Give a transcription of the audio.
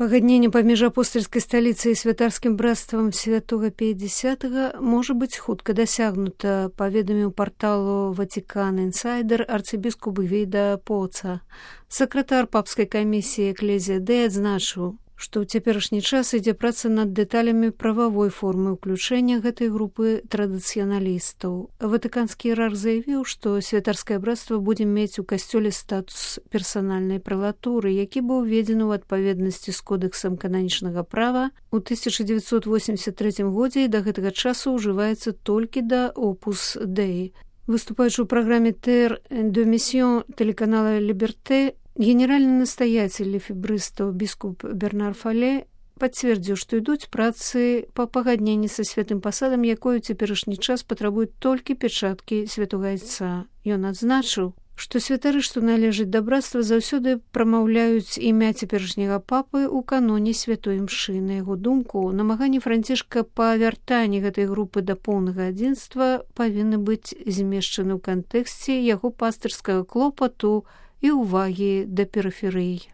Пагадненне паміж апостальскай сталіцай і святарскім брацтвам святога П'ятдесятага можа быць хутка дасягнута, паведаміў парталу Ватикан Інсайдер арцыбіскуп Гвіда Поца. Сакратар папскай камісіі Экклезія Дэй адзначыў, што ў цяперашні час ідзе праца над дэталямі прававой формы ўключэння гэтай групы традыцыяналістаў. Ватыканскі іерарх заявіў, што святарскае брацтва будзе мець у касцёле статус персанальнай прэлатуры, які быў уведзены ў адпаведнасці з кодэксам кананічнага права ў 1983 годзе і да гэтага часу ўжываецца толькі да Opus Dei. Выступаючы ў праграме «Terre de Mission» телеканала «Либерте», генеральны настаяцель лефебрыстаў біскуп Бернар Фале пацвердзіў, што ідуць працы па пагадненні са святым пасадам, якой у цяперашні час патрабуюць толькі пячаткі святога айца. Ён адзначыў, што святары, што належаць да брацтва, заўсёды прамаўляюць імя цяперашняга папы ў каноне святой імшы. На яго думку, намаганні Францішка па вяртанні гэтай групы да поўнага адзінства павінны быць змешчаны ў кантэксце яго пастырскага клопату і ўвагі да перыферый.